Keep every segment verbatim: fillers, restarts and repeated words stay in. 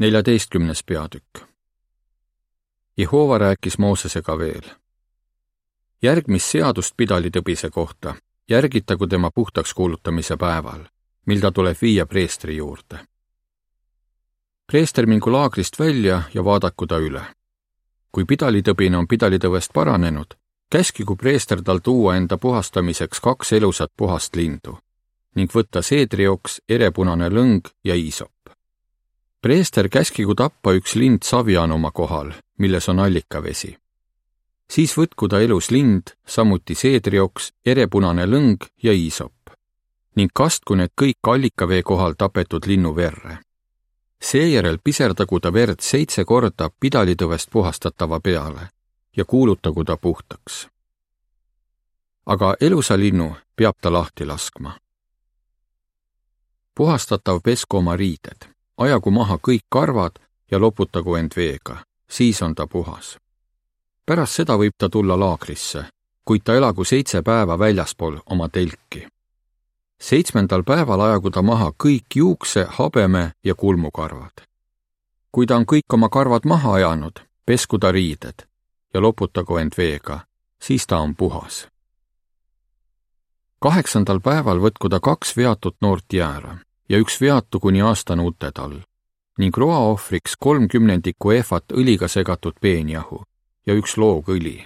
neljateistkümnes peatükk. Jehova rääkis Moosesega veel. Järgmist seadust pidalitõbise kohta järgitagu tema puhtaks kuulutamise päeval, mil ta tuleb viia preestri juurde. Preester mingu laagrist välja ja vaadaku ta üle. Kui pidalitõbine on pidalitõvest paranenud, käskigu preester tal tuua enda puhastamiseks kaks elusat puhast lindu ning võtta seedrioks, erepunane lõng ja iisop. Preester käskigu tappa üks lind savianuma kohal, milles on allikavesi. Siis võtku ta elus lind, samuti seedrioks, erepunane lõng ja iisop ning kastku need kõik allikavee kohal tapetud linnu verre. Seejärel piserdagu ta verd seitse korda pidalitõvest puhastatava peale ja kuulutagu ta puhtaks. Aga elusa linnu peab ta lahti laskma. Puhastatav pesku oma riided, ajagu maha kõik karvad ja loputagu end veega, siis on ta puhas. Pärast seda võib ta tulla laagrisse, kuid ta elagu seitse päeva väljaspool oma telki. Seitsmendal päeval ajagu ta maha kõik juukse, habeme ja kulmukarvad. Kui ta on kõik oma karvad maha ajanud, pesku ta riided ja loputagu end veega, siis ta on puhas. Kaheksandal päeval võtku ta kaks veatut noort jäära ja üks veatu kuni aastane uted all ning roaohvriks kolm kümnendikku ehvat õliga segatud peenjahu ja üks loog õli.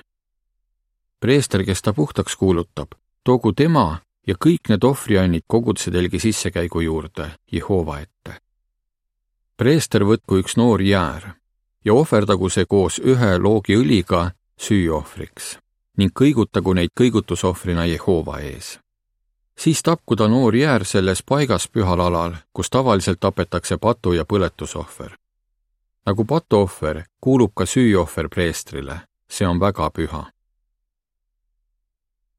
Preester, kes ta puhtaks kuulutab, toogu tema ja kõik need ohvriannid koguduse telgi sissekäigu juurde Jehova ette. Preester võtku üks noor jäär ja ohverdagu see koos ühe loogi õliga süüohvriks ning kõigutagu neid kõigutusohvrina Jehova ees. Siis tapku ta noor jäär selles paigas pühal alal, kus tavaliselt tapetakse patu- ja põletusohver. Nagu patuohver kuulub ka süüohver preestrile, see on väga püha.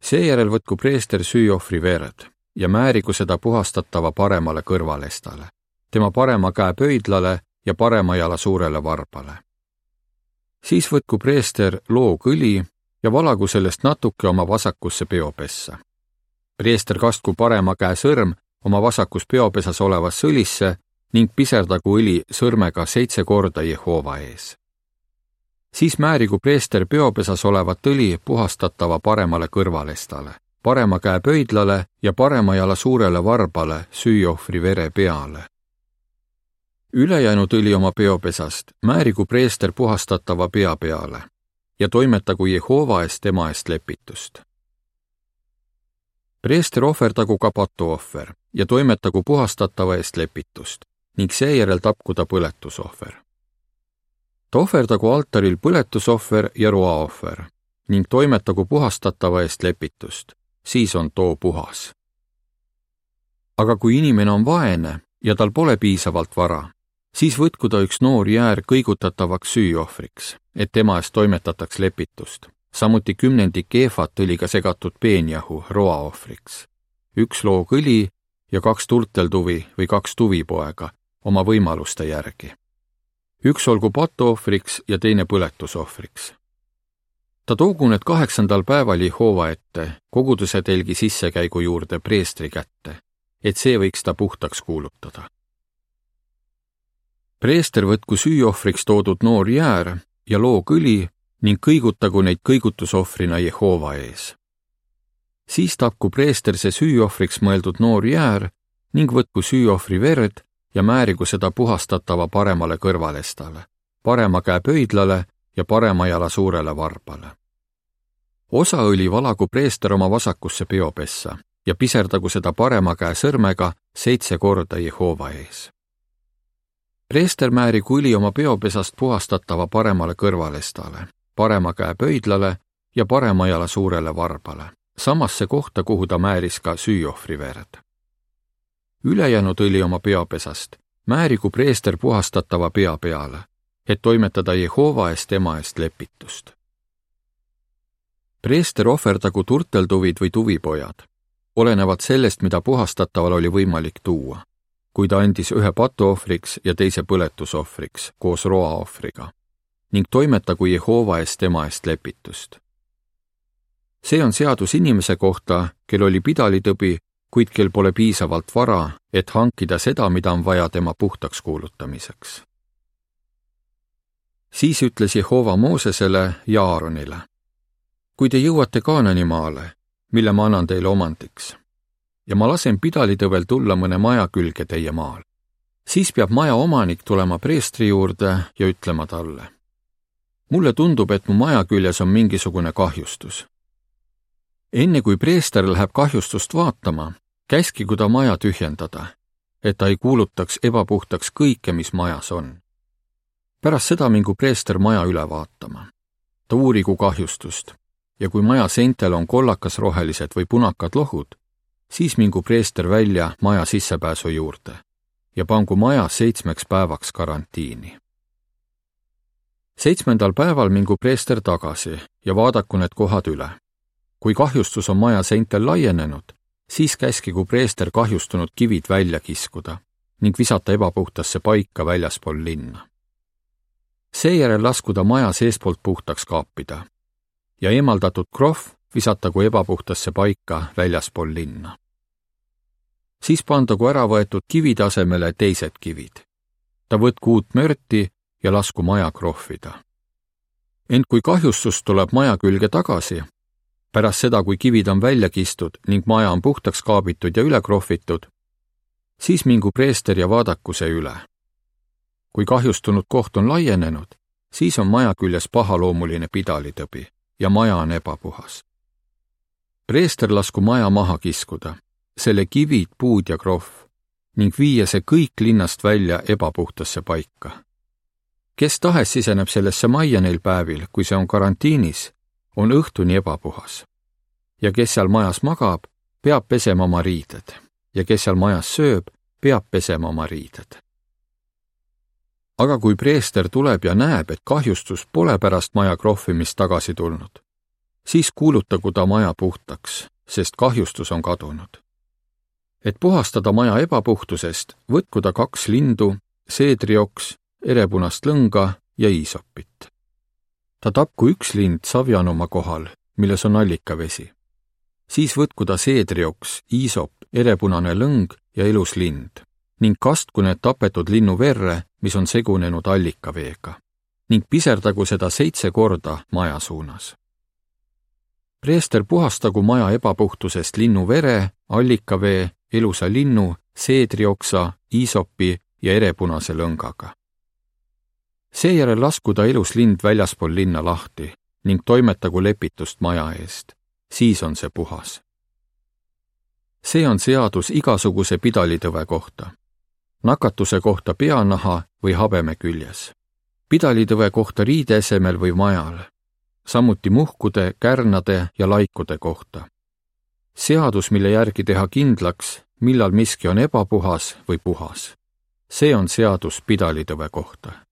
Seejärel võtku preester süüohvri verd ja määrigu seda puhastatava paremale kõrvalestale, tema parema käe pöidlale ja parema jala suurele varbale. Siis võtku preester loog õli ja valagu sellest natuke oma vasakusse peopessa. Preester kastku parema käe sõrm oma vasakus peopesas olevasse õlisse ning piserdagu õli sõrmega seitse korda Jehova ees. Siis määrigu preester peopesas olevat õli puhastatava paremale kõrvalestale, parema käe pöidlale ja parema jala suurele varbale süüohvri vere peale. Ülejäänud õli oma peopesast määrigu preester puhastatava pea peale ja toimetagu Jehova eest tema eest lepitust. Preester ohverdagu ka patuohver ja toimetagu puhastatava eest lepitust ning seejärel tapku ta põletusohver. Ta ohverdagu altaril põletusohver ja roaohver ning toimetagu puhastatava eest lepitust, siis on too puhas. Aga kui inimene on vaene ja tal pole piisavalt vara, siis võtku ta üks noor jäär kõigutatavaks süüohvriks, et tema eest toimetataks lepitust. Samuti kümnendik ehvat õliga segatud peenjahu roaohvriks, üks loog õli ja kaks turteltuvi või kaks tuvipoega oma võimaluste järgi. Üks olgu patuohvriks ja teine põletusohvriks. Ta toogu need kaheksandal päeval Jehova ette koguduse telgi sissekäigu juurde preestri kätte, et see võiks ta puhtaks kuulutada. Preester võtku süüohvriks toodud noor jäär ja loog õli ning kõigutagu neid kõigutusohvrina Jehova ees. Siis tapku preester see süüohvriks mõeldud noor jäär ning võtku süüohvri verd ja määrigu seda puhastatava paremale kõrvalestale, parema käe pöidlale ja parema jala suurele varbale. Osa õli valagu preester oma vasakusse peopessa ja piserdagu seda parema käe sõrmega seitse korda Jehova ees. Preester määrigu õli oma peopesast puhastatava paremale kõrvalestale, parema käe pöidlale ja parema jala suurele varbale, samasse kohta, kuhu ta määris ka süüohvri verd. Ülejäänud õli oma peopesast määrigu preester puhastatava pea peale, et toimetada Jehova eest tema eest lepitust. Preester ohverdagu turteltuvid või tuvipojad, olenevad sellest, mida puhastataval oli võimalik tuua, kui ta andis ühe patuohvriks ja teise põletusohvriks koos roaohvriga, ning toimetagu Jehova eest tema eest lepitust. See on seadus inimese kohta, kel oli pidalitõbi, kuid kel pole piisavalt vara, et hankida seda, mida on vaja tema puhtaks kuulutamiseks. Siis ütles Jehova Moosesele ja Aaronile: kui te jõuate Kaanani maale, mille ma annan teile omandiks, ja ma lasen pidalitõvel tulla mõne maja külge teie maal, siis peab maja omanik tulema preestri juurde ja ütlema talle: mulle tundub, et mu maja küljes on mingisugune kahjustus. Enne kui preester läheb kahjustust vaatama, käskigu ta maja tühjendada, et ta ei kuulutaks ebapuhtaks kõike, mis majas on. Pärast seda mingu preester maja üle vaatama. Ta uurigu kahjustust ja kui maja seintel on kollakas-rohelised või punakad lohud, siis mingu preester välja maja sissepääsu juurde ja pangu maja seitsmeks päevaks karantiini. Seitsmendal päeval mingu preester tagasi ja vaadaku need kohad üle. Kui kahjustus on maja seintel laienenud, siis käskigu preester kahjustunud kivid välja kiskuda ning visata ebapuhtasse paika väljaspool linna. Seejärel laskuda maja seespoolt puhtaks kaapida ja eemaldatud krohv visatagu ebapuhtasse paika väljaspool linna. Siis pandagu ära võetud kivide asemele teised kivid. Ta võtku uut mörti ja lasku maja krohvida. Ent kui kahjustus tuleb maja külge tagasi, pärast seda, kui kivid on välja kistud ning maja on puhtaks kaabitud ja üle krohvitud, siis mingu preester ja vaadaku see üle. Kui kahjustunud koht on laienenud, siis on maja küljes pahaloomuline pidalitõbi ja maja on ebapuhas. Preester lasku maja maha kiskuda, selle kivid, puud ja krohv, ning viia see kõik linnast välja ebapuhtasse paika. Kes tahes siseneb sellesse majja neil päevil, kui see on karantiinis, on õhtuni ebapuhas. Ja kes seal majas magab, peab pesema oma riided, ja kes seal majas sööb, peab pesema oma riided. Aga kui preester tuleb ja näeb, et kahjustus pole pärast maja krohvimist tagasi tulnud, siis kuulutagu ta maja puhtaks, sest kahjustus on kadunud. Et puhastada maja ebapuhtusest, võtku ta kaks lindu, seedrioks, erepunast lõnga ja iisopit. Ta tapku üks lind savjanuma kohal, milles on allikavesi. Siis võtku ta seedrioks, iisop, erepunane lõng ja elus lind ning kastku need tapetud linnu verre, mis on segunenud allikaveega, ning piserdagu seda seitse korda maja suunas. Preester puhastagu maja ebapuhtusest linnu vere, allikavee, elusa linnu, seedrioksa, iisopi ja erepunase lõngaga. Seejärel lasku ta elus lind väljaspool linna lahti ning toimetagu lepitust maja eest, siis on see puhas. See on seadus igasuguse pidalitõve kohta, nakatuse kohta peanaha või habeme küljes, pidalitõve kohta riide esemel või majal, samuti muhkude, kärnade ja laikude kohta. Seadus, mille järgi teha kindlaks, millal miski on ebapuhas või puhas. See on seadus pidalitõve kohta.